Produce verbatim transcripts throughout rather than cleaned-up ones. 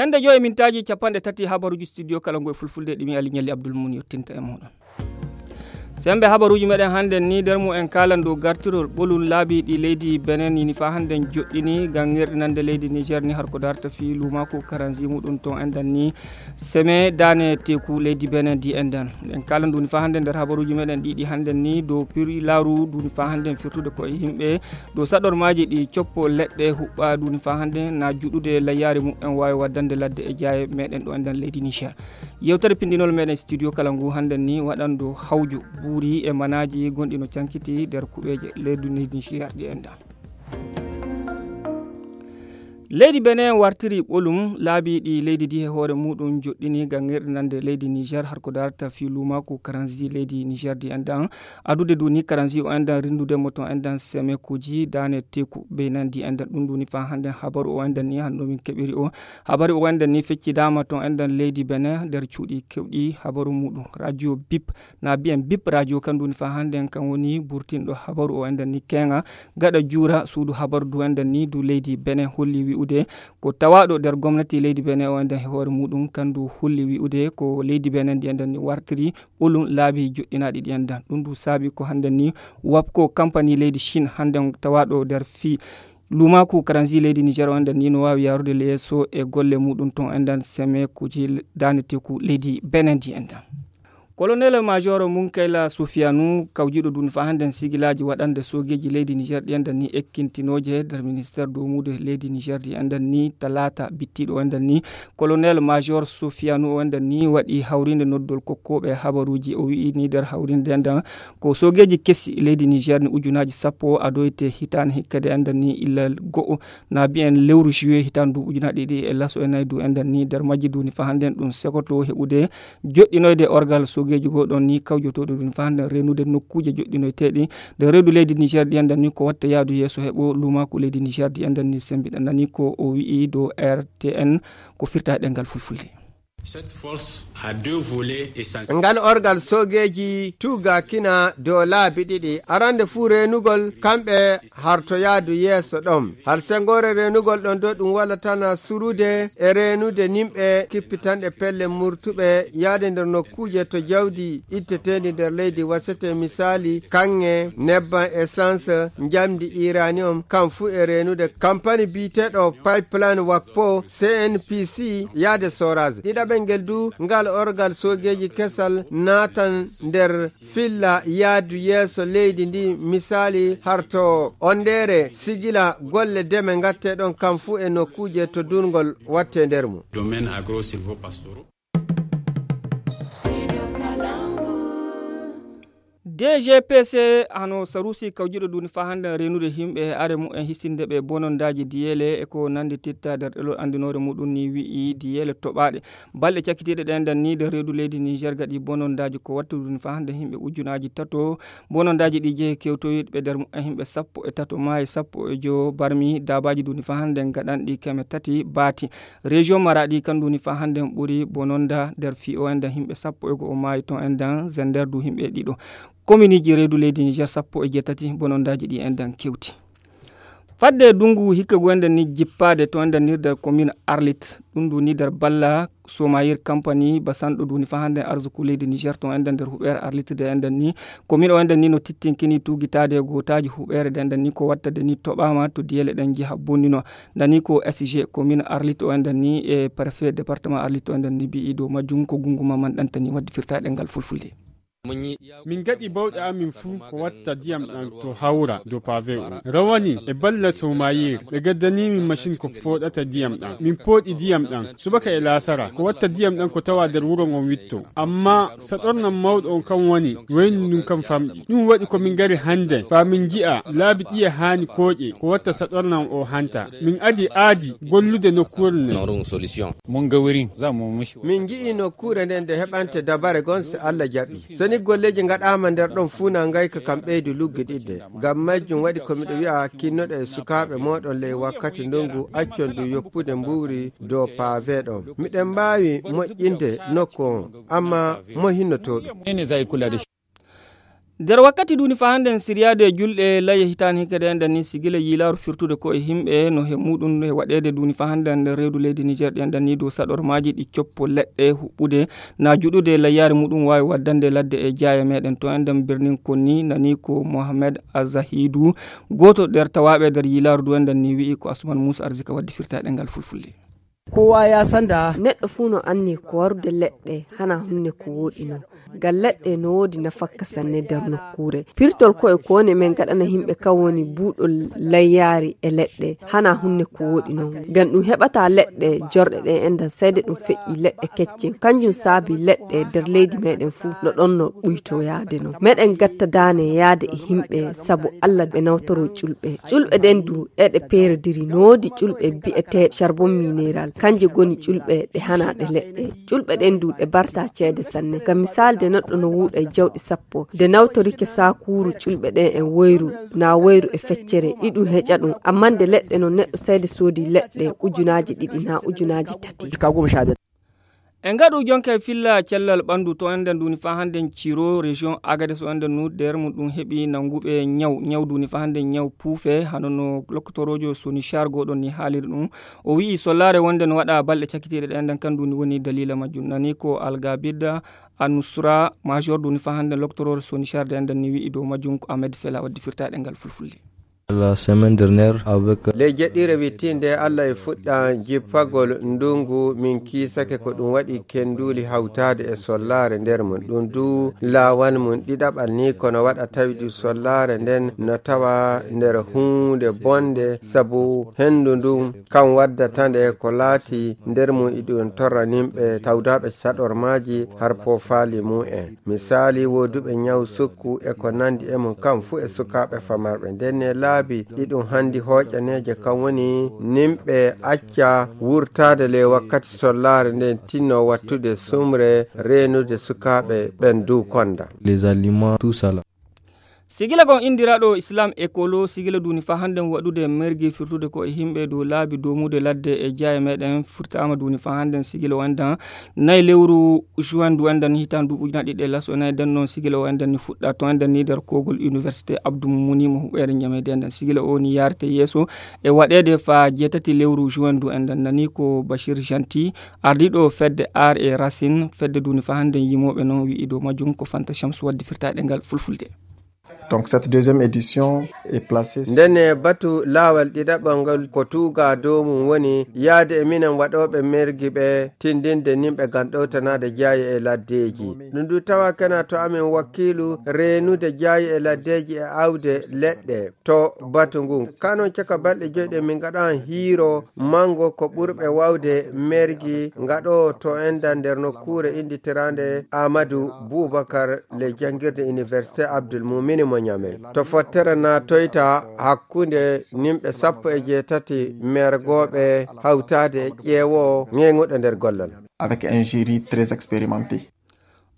Ende joyi mintaaji capanɗe tati habaruuji studio kala ngu e fulfulde ɗi mi Ali Ñalli Abdul Mun yottinta e muɗum. Sembe habaruuji meɗen hannden ni nder mum en kaalan dow gartirol ɓolum laabi ɗi leydi Benin ni faa hannden joɗɗini ngam ŋerɗinande leydi Niger ni har ko darta fii luumaaku karanzi muɗum ton enɗan ni seme daane teeku leydi Benin di enɗan. En kaalan ɗum ni faa hannden nder habaruuji meɗen ɗiɗi hannden ni dow piri laaru ɗum ni faa hannden firtude ko e yimɓe dow saɗormaaji ɗi coppo leɗɗe huɓɓa ɗum ni faa hannden na juɗude layyaare mum en waawi waddande ladde e jaaye meɗen ɗo enɗan leydi Niger. Yewtere pinɗinol meɗen studio kala ngu hannden ni waɗan dow hawju buuri e manaaji gonɗi no cankiti nder kuɓeeje leydi Niger ɗi enɗan. Leydi Benin wartiri ɓolum laabi ɗi leydi ndi e hoore muɗum joɗɗini ngam ŋerɗinande leydi Niger har ko darata fii luumaaku karanzi leydi Niger ndi enɗan. Adude duni karanzi o enɗan rindude mo ton enɗan semekuuji daane teeku Benin ndi enɗan ɗum duni faa hannden habaru o enɗan ni hanno min keɓiri o. Habaru o enɗan ni feccidaama ton enɗan leydi Benin nder cuuɗi kewɗi habaru muɗum. Radio Bip na biyen Bip radio kan duni faa hannden kan woni burtinɗo habaru o enɗan ni keŋa gaɗa juura suudu habaru du enɗan ni du leydi Benin holli wi'ude ko tawaaɗo nder gomnati leydi Benin o enɗan e hoore muɗum kan du holli wi'ude ko leydi Benin ndi enɗan ni wartiri ɓolum laabi joɗɗinaaɗi ɗi enɗan. Ɗum du saabi ko hannden ni wapko kampani leydi Chine hannden tawaaɗo nder fii luumaaku karanzi leydi Niger o enɗan ni no waawi yaarude yeeso e golle muɗum ton enɗan semekuuji daane teeku leydi Benin ndi enɗan. Kolonel Major Munkayla Sufiyanu kawjiɗo duni faa hannden sigilaaji waɗande soogeeji leydi Niger ɗi enɗan ni ekkintinooje nder ministeer doomude leydi Niger ɗi enɗan ni talaata bittiiɗo enɗan ni. Kolonel Major Sufiyanu o enɗan ni waɗi hawriinde noddol kokkooɓe habaruuji o wi'i ni nder hawriinde enɗan ko soogeeji kesi leydi Niger ni ujunaaji sappo adoyte hitaande hikka de enɗan ni illa go'o na biyen lewru juillet hitaande duuɓi ujunaaji ɗiɗi e laso e nayi du enɗan ni nder majji duni faa hannden ɗum sekoto heɓude joɗɗinoyde orgal soogeeji goo ɗon ni kawjotooɗo ɗum faa hannden renude nokkuuje joɗɗinoyteeɗi nder reedu leydi Niger ɗi enɗan ni ko watta yaadu yeeso heɓo luumaaku leydi Niger ɗi enɗan ni sembiɗa nani ko o wi'i dow R T N ko firta e ɗemngal fulfulde. Cette force a deux volets essentiels. Ngal orgal soogeeji tuugakina dow laabi ɗiɗi. Arande fuu reenugol kamɓe hartoyaadu yeeso ɗon. Har senngoore reenugol ɗon dow ɗum wala tana surude e reenude nimɓe kippitanɗe pelle murtuɓe yaade nder nokkuuje to jawdi itteteendi nder leydi wasete misaali kaŋŋe, nebban essence, njamndi uranium, kam fuu e reenude kampani biyeteeɗo pipeline wakpo C N P C yaade soraas. Ɗiɗaɓel ngel du ngal orgal soogeeji kesal naatan nder filla yaadu yeeso leydi ndi misaali harto ondeere sigila golle deme ngatte ɗon kam fuu e nokkuuje to durngol watte nder mum. Domaine agro-silvopastoraux. D G P C hano sarusi kawjiɗo duni faa hannden renude himɓe e are mumen histinde ɓe bonondaaji diyeele e ko nanndi titta nder ɗelol anndinoore muɗum ni wi'i diyeele toɓaaɗe balɗe cakkitiiɗe ɗen ɗan ni nder reedu leydi Niger gaɗi bonondaaji ko wattu duni faa hannden himɓe ujunaaji tato bonondaaji ɗi jehi kewtoyiiɓe nder mumen himɓe sappo e tato maayi sappo e jowo barmi daabaaji duni faa hannden gaɗanɗi keme tati baati. Région Maradi kan duni faa hannden ɓuri bononda nder fii o enɗan himɓe sappo e go'o maayi ton enɗan zender du himɓe ɗiɗo. Kominiiji reedu leydi Niger sappo e jeetati bonondaaji ɗi enɗan kewti. Fadde dungu hikka gu enɗan ni jippaade to enɗan ni nder komin Arlit ɗum duni nder balla somayir kampani basanɗo duni faa hannden arzuku leydi Niger ton enɗan nder huɓeere Arlit de enɗan ni komin o enɗan ni no tittinkini tuugitaade gootaaji huɓeere de enɗan ni ko wattade ni toɓaama to diyele ɗen njeha bonnino. Nani ko S G komin Arlit o enɗan ni e préfet département Arlit o enɗan ni bi'i dow majjum ko gungu ma man ɗantani wadde firtaade ngal fulfulde. Min gaɗi bawɗe amin fuu ko watta diyam ɗan to hawra dow pavé o. Rawani e balla somayir ɓe gaddani min machine ko fooɗata diyam ɗan min pooɗi diyam ɗan subaka e laasara ko watta diyam ɗan ko tawa nder wuro ngon witto. Amma saɗornan mawɗo on kan woni waynu ndun kan famɗi ɗum waɗi ko min ngari hannden faa min nji'a laabi ɗiye haani kooƴe ko watta saɗornan o hanta. Min adi aadi gollude nokkuure nden. Min nji'i nokkuure nden nde heɓante dabare gon si Allah jaɓi. So ni golleeji ngaɗaama nder ɗon fuu na ngayka kam ɓeydu luggiɗidde. Ngam majjum waɗi ko miɗo wi'a kinnoɗo e sukaaɓe mooɗon ley wakkati ndungu accon du yoppude mbuuri dow pavé ɗon. Miɗen mbaawi moƴƴinde nokku on, amma mo hinnoto ɗum. Nder wakkati duuni fa hannden siryaade julɗe laye hitaani hikka ɗe enɗan ni sigila yiilaaru firtude ko e himɓe no he muuɗum e waɗeede duuni fa hannden nder reedu leydi Niger ɗe enɗan ni dow saɗormaaji ɗi coppo leɗɗe huɓɓude na juɗude layyaare muuɗum waawi waddande ladde e jaaye meɗen to enɗan birnin konni nani ko Mohamed Azahidu gooto nder tawaaɓe nder yiilaaru du enɗan ni wi'i ko Asuman Muusa Arzika waddi firtaaɗe ngal fulfulde. Kowa ya sanda. Neɗɗo fuu no anni ko warude leɗɗe hana hunde ko wooɗi non. Ngal leɗɗe no woodi nafakka sanne nder nokkuure. Pirtol koye ko woni men gaɗana himɓe kan woni buuɗol layyaari e leɗɗe hana hunde ko wooɗi non. Ngam ɗum heɓata leɗɗe jorɗe ɗen enɗan sayde ɗum feƴƴi leɗɗe kecce. Kanjum saabi leɗɗe nder leydi meɗen fuu no ɗon no ɓuyto yaade non. Meɗen gatta daane yaade e himɓe sabu Allah ɓe nawtoro ƴulɓe. Ƴulɓe ɗen du eɗe peerodiri no woodi ƴulɓe bi'eteeɗe charbon mineral. Kanje goni ƴulɓe ɗe hana ɗe leɗɗe. Ƴulɓe ɗen du ɗe barta ceede sanne. Ngam misaali de neɗɗo no wuuɗa e jawɗi sappo. De nawtorike saakuuru ƴulɓe ɗen e woyru, na woyru e feccere, iɗum heƴa ɗum. Amma nde leɗɗe no neɗɗo sayde soodi leɗɗe ujunaaji ɗiɗi na ujunaaji tati. E ngaɗu jonka e filla cellal ɓanndu to enɗen duuni fa hannden Ciro, région Agadez o enɗen nu der mum ɗum heɓi nannguɓe ñaw, ñaw duuni fa hannden ñaw puufe, hano no lokkotoroojo Sonichar gooɗon ni haaliri ɗum. O wi'i sollaare wonde no waɗa balɗe cakitiiɗe ɗe enɗen kan duuni woni daliila majjum. Nani ko Algabida Anusra, major duuni fa hannden lokkotoroojo Sonichar de enɗen ni wi'i dow majjum ko Ahmed Fela waddi firtaaɗe ngal fulfulde. La semaine dernière avec. Ley jeɗɗire wittiinde Allah e fuɗɗa jippagol ndungu min kiisake ko ɗum waɗi kenduuli hawtaade e sollaare nder mum. Ɗum du laawal mum ɗiɗaɓal ni kono waɗa tawdi sollaare nden no tawa nder huunde bonde sabu hendu ndun kan waddata nde ko laati nder mum iɗum torra nimɓe tawdaaɓe caɗormaaji har poofaali mum en. Misaali, wooduɓe ñaw sukku e ko nandi e mum, kam fuu e sukaaɓe famarɓe. Nden ne laabi ɗiɗum handi hooƴaneeje, kam woni nimɓe acca wurtaade ley wakkati sollaare nden tinno wattude sumre reenude sukaaɓe ɓen du konda. Les aliments, tout ça là. Sigila gon indiraaɗo Islam Ekolo, sigila duuni fa hannden waɗude mergi firtude ko e himɓe dow laabi doomude ladde e jaaye meɗen furtaama duuni fa hannden sigila o enɗan nayi lewru juin du enɗan ni hitaan duuɓi ujunaaji ɗiɗi e laso e nayi. Den noon sigila o enɗan ni fuɗɗa to enɗan ni nder kogol université Abdou Moumouni mo huɓeere ñameede enɗan sigila o ni yaarte yeeso e waɗeede fa jeetati lewru juin du enɗan nani ko Bachir Gentil ardiiɗo fedde Aar e Racine fedde duuni fa hannden yimooɓe noon wi'i dow majjum ko Fanta Chamsu waddi firtaaɗe ngal fulfulde. Donc cette deuxième édition est placée. Ndene batu laawal ɗiɗaɓal ngal ko tuuga dow mum woni yaade e minen waɗooɓe mergi ɓe tindinde nimɓe ngam ɗowtanaade jaaye e laddeeji. Ɗum du tawa kena to amin wakiilu reenude jaaye e laddeeji e awde leɗɗe to batu ngun. Kanon caka balɗe joyɗe min ngaɗan hiiro mango ko ɓurɓe wawde mergi ngaɗo to enɗan nder nokkuure innditiraande Amadou Boubacar le janngirde Université Abdoul Moumini mo Niamey. To fottere naatoyta hakkunde nimɓe sappo e jeetati mergooɓe hawtaade e ƴeewo ŋeeŋuɗo nder gollal. Avec un jury très expérimenté.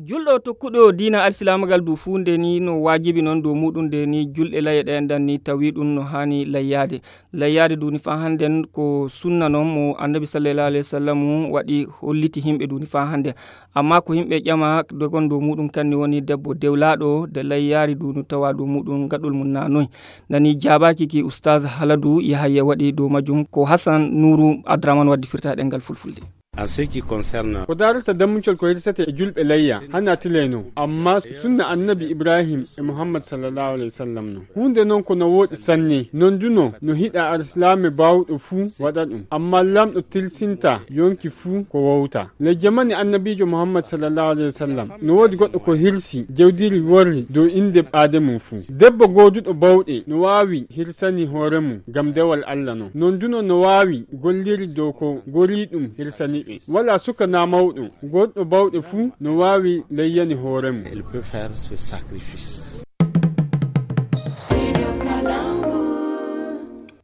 Julɗo tokkuɗo diina alsilaamagal du fuu nde ni no waajibi noon dow muuɗum nde ni julɗe laye ɗe enɗan ni tawi ɗum no haani layyaade. Layyaade duuni fa hannden ko sunna noon mo annabi sallallahu alayhi wa sallam waɗi holliti himɓe duuni fa hannden. Amma ko himɓe ƴama dogon dow muuɗum kanni woni debbo dewlaaɗo de layyaari duuni tawa dow muuɗum gaɗol mum na noy. Nani jaabaaki ki Ustaz Haladu Yahaya waɗi dow majjum ko Hassan Nuru Adraman waddi firta ɗengal fulfulde. En ce qui concerne. Ko daarata dammucol ko hirsete e julɓe layya hana tilay non, amma sunna annabi Ibrahim e Muhammad sallallahu alayhi wa sallam non. Huunde non ko no wooɗi sanne, non du no no hiɗa arsilaame baawɗo fuu waɗa ɗum, amma lamɗo tilsinta yonki fuu ko wowta. Le jamani annabiijo Muhammad sallallahu alayhi wa sallam no woodi goɗɗo ko hirsi jawdiri worri dow innde ɓaade mum fuu. Debbo gooduɗo bawɗe no waawi hirsani hoore mum ngam dewal Allah non. Non du no no waawi golliri dow ko gori ɗum hirsani ɓe. Wala suka na mawɗo, goɗɗo bawɗe fuu no waawi layyani hoore mum. Elle peut faire ce sacrifice.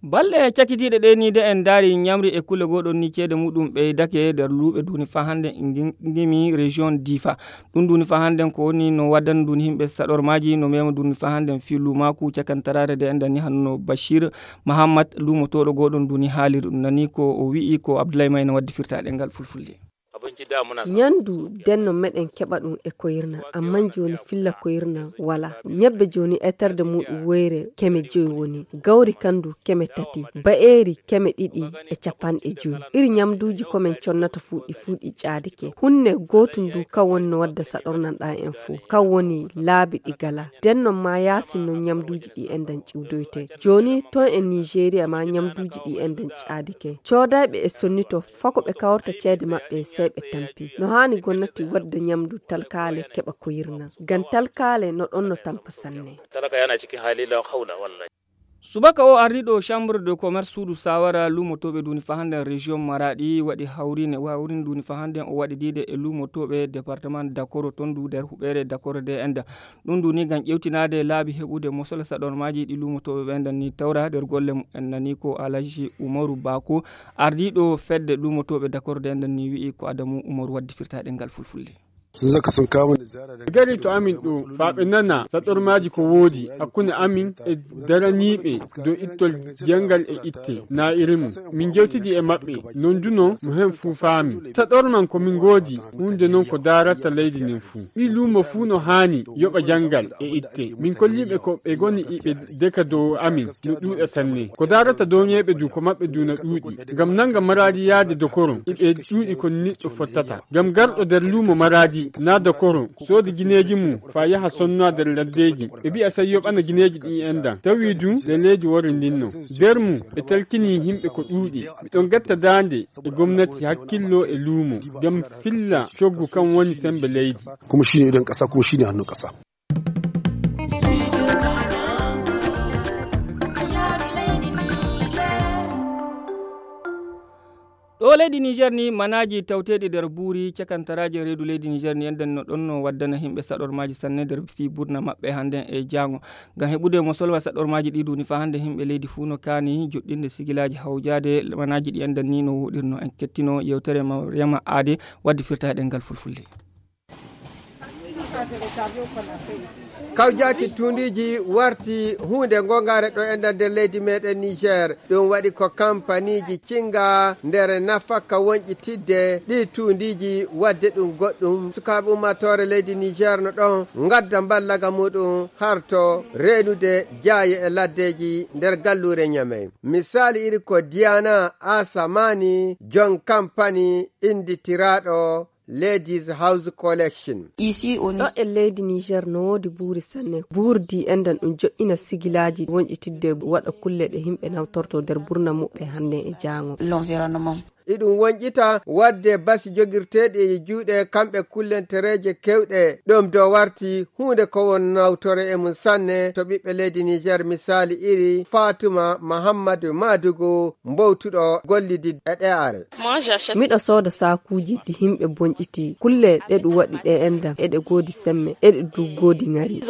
Balɗe cakitiiɗe ɗe ni de en ndaari ñamri e kulle goɗon ni ceede muɗum ɓeydake nder luuɓe duuni fa hannde ngimi région Difa. Ɗum duuni fa hannden ko woni no waddana duuni himɓe saɗormaaji no mema duuni fa hannden fii luumaaku cakantaraare de enɗan ni hanno Bachir Mahammad luumotooɗo gooɗon duuni haaliri ɗum nani ko o wi'i ko Abdoulaye Mayna waddi firta ɗengal fulfulde. Ñandu denno meɗen keɓa ɗum e koyirna, amman jooni filla koyirna wala. Ñebbe jooni eterde muɗum woyre keme joyi woni. Gawri kandu keme tati. Ba'eeri keme ɗiɗi e capanɗe joyi. Iri ñamduuji ko men connata fuu ɗi fuu ɗi caadi ke. Hunne gootum du kan woni no wadda saɗornan ɗa en fuu. Kan woni laabi ɗi gala. Den non ma yaasin non ñamduuji ɗi enɗan ciwdoyte. Jooni ton e Nigeria ma ñamduuji ɗi enɗan caadi ke. Coodayɓe e sonnito fako ɓe kawrta ceede maɓɓe sey ɓe tampi. No haani gonnati wadda ñamdu talkaale keɓa koyirna. Ngam talkaale no ɗon no tampa sanne. Talaka yana cikin hali la haula wallahi. Subaka o ardiɗo chambre de commerce suudu sawara lumotoɓe duni fahande région maradi waɗi hawrine wawrin duni fahande o waɗi dide e lumotoɓe département dakoro tondu nder huɓere dakoro de enda. Ɗum duni ngam ƴewtinaade laabi heɓude mosola saɗormaaji ɗi lumotoɓe ɓe nden ni tawra nder golle mumen nani ko alaji umaru bako ardiɗo fedde lumotoɓe dakoro de nden ni wi'i ko adamu umaru waddi firtaɗe ngal fulfulde. Gari to amin ɗo faa ɓe nana saɗormaaji ko woodi hakkunde amin e daraniiɓe dow ittol janngal e itte na irin mum. Min njewtidi e maɓɓe non duno mo heen fuu faami. Saɗorman ko min ngoodi huunde noon ko daarata leydi nden fuu. Ɓii luumo fuu no haani yoɓa janngal e itte. Min kolliiɓe ko ɓe ngoni iɓe deka dow amin no ɗuuɗa sanne. Ko daarata dow ñeeɓe du ko maɓɓe du na ɗuuɗi. Ngam nannga maraadi yaade dokoron iɓe ɗuuɗi ko niɗɗo fottata. Ngam garɗo nder luumo maraadi na dokoron soodi gineeji mum faa yaha sonnaa nder laddeeji. Ɓe mbi'a sey yoɓana gineeji ɗi enɗan. Tawi du nde leydi wori ndinno. Nder mum ɓe talkinii yimɓe ko ɗuuɗi. Miɗon ngetta daande e gomnati hakkillo e luumo. Ngam filla coggu kan woni sembe leydi. Kuma shine idan ƙasa kuma shine hannun ƙasa. Ɗo leydi niger ni manaaji tawteeɗi nder buuri cakantaraaji e reedu leydi niger ni enɗen no ɗon no waddana yimɓe saɗormaaji sanne nder fii burna maɓɓe hannden e jaango. Ngam heɓude mo solwa saɗormaaji ɗi duni faa hannde yimɓe leydi fuu no kaani joɗɗinde sigilaaji hawjaade manaaji ɗi enɗen ni no woɗirno en kettino yewtere maryama aade waddi firta e ɗemngal fulfulde. Kawjaaki tuundiiji warti huunde ngongaare ɗo e nder leydi meɗen niger. Ɗum waɗi ko kampaniiji cinga nder nafakka wonƴitidde ɗi tuundiiji waɗde ɗum goɗɗum sukaaɓe ummaatoore leydi niger no ɗon ngadda mballaga muɗum harto reenude jaaye e laddeeji nder galluure ñamey. Misaali iri ko diana asamani jon kampani innditiraaɗo ladies house collection. Ɗo e leydi niger no woodi buuri sanne. Buurdi enɗan ɗum joɗɗina sigilaaji wonƴitidde waɗa kulle ɗe yimɓe nawtorto nder burna muɓɓe hannden e jaango. Iɗum wonƴita waɗde basi jogirteeɗi e juuɗe kamɓe kullentereeje kewɗe ɗum do warti huunde ko won nawtore e mum sanne to ɓiɓɓe leydi niger misaali iri fatuma mahammadu madugu mbowtuɗo gollidi e ɗe are. Miɗo sooda saakuuji ɗi yimɓe bonƴiti kulle ɗe ɗum waɗi ɗe enɗan eɗe goodi semme eɗe du goodi ŋari.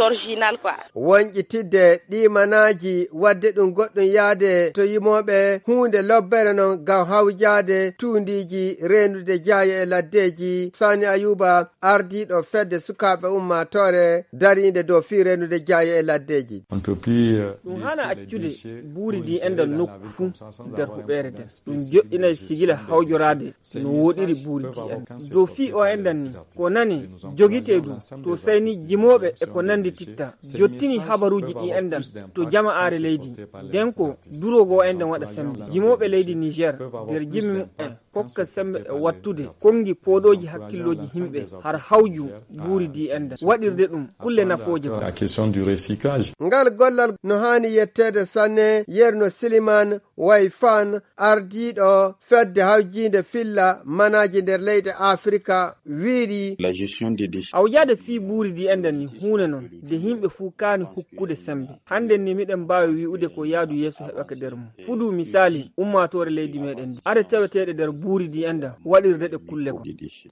Wonƴitidde ɗi manaaji waɗde ɗum goɗɗum yaade to yimooɓe huunde lobbere non ngam hawjaade tuundiiji reenude jaaye e laddeeji sani ayuba ardiiɗo fedde sukaaɓe ummaatoore dariinde dow fii reenude jaaye e laddeeji. Ɗum haana accude buuri ndi enɗan nokku fuu nder huɓeere nden ɗum joɗɗinay sigila hawjoraade no woɗiri buuri ndi enɗan dow fii o enɗan ni ko nani jogitee ɗum to sayni jimooɓe e ko nanndititta jottini habaruuji ɗi enɗan to jama'aare leydi nden ko duroogo enɗan waɗa sembe jimooɓe leydi niger nder jimi mumen kokka sembe e wattude konngi pooɗooji hakkillooji yimɓe har hawju buuri ndi enɗan waɗirde ɗum kulle nafooje. Ngal gollal no haani yetteede sanne yerno siliman way fan ardiiɗo fedde hawjiinde filla manaaji nder leyɗe afrika wiiri. Hawjaade fii buuri ndi enɗan ni huunde non nde yimɓe fuu kaani hukkude sembe hannden ni miɗen mbaawi wi'ude ko yaadu yeeso heɓake nder mum fudu misaali ummaatoore leydi meɗen ndi are taweteeɗe nder buuri ndi enɗan waɗirde ɗe kulle ko.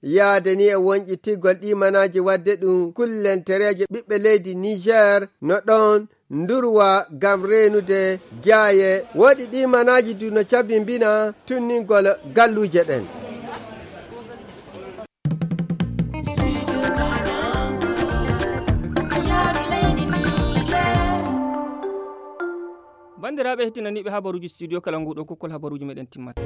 Yaade ni e wonƴitigol ɗi manaaji waɗde ɗum kullentereeje ɓiɓɓe leydi niger no ɗon ndurwa ngam reenude jaaye woɗi ɗi manaaji du no cabimbina tunningol galluuje ɗen. Banndiraaɓe hettinaniiɓe habaruuji studio kala nguɗo kokkol habaruuji meɗen timmata.